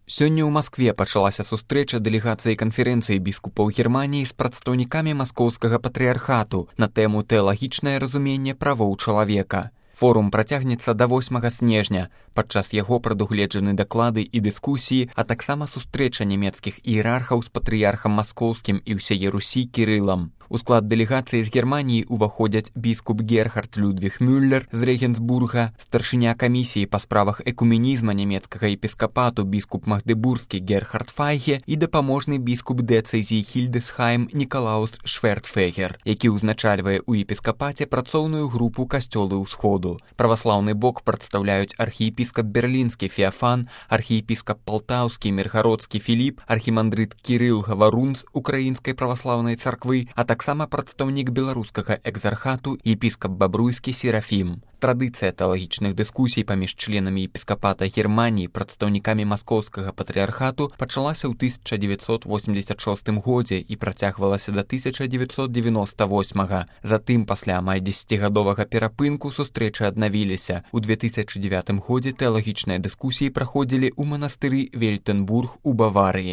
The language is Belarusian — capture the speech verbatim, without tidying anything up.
Сёння ў Маскве пачалася сустрэча дэлегацыі канферэнцыі біскупаў Германіі з прадстаўнікамі маскоўскага патрыярхату на тэму тэалагічнае разуменне правоў чалавека. Форум працягнецца да восьмага снежня. Падчас яго прадугледжаны даклады і дыскусіі, а таксама сустрэча нямецкіх іерархаў з патрыярхам маскоўскім і ўсяе Русі Кірылам. У склад дэлегацыі з Германіі ўваходзяць біскуп Герхард Людвіг Мюллер з Рэгенсбурга, старшыня камісіі па справах экуменізма нямецкага епіскапату біскуп Магдебургскі Герхард Файге і дапаможны біскуп дыцэзіі Хільдесхайм Нікалаус Швертфегер, які ўзначальвае ў епіскапаце працоўную групу касцёлы ўсходу. Праваслаўны бок прадстаўляюць архіепіскап берлінскі Феафан, архіепіскап палтаўскі Міргародскі Філіп, архімандрыт Кірыл Гаварун з Украінскай праваслаўнай царквы, а таксама прадстаўнік беларускага экзархату епіскап Бабруйскі Серафім. Традыцыя тэалагічных дыскусій паміж членамі епіскапата Германіі, прадстаўнікамі маскоўскага патрыярхату пачалася ў тысяча дзевяцьсот восемьдесят шостым годзе і працягвалася да тысяча дзевяцьсот девяносто восьмага. Затым, пасля амаль дзесяцігадовага перапынку, сустрэчы аднавіліся. У две тысячы дзевятым годзе тэалагічныя дыскусіі праходзілі ў манастыры Вельтенбург у Баварыі.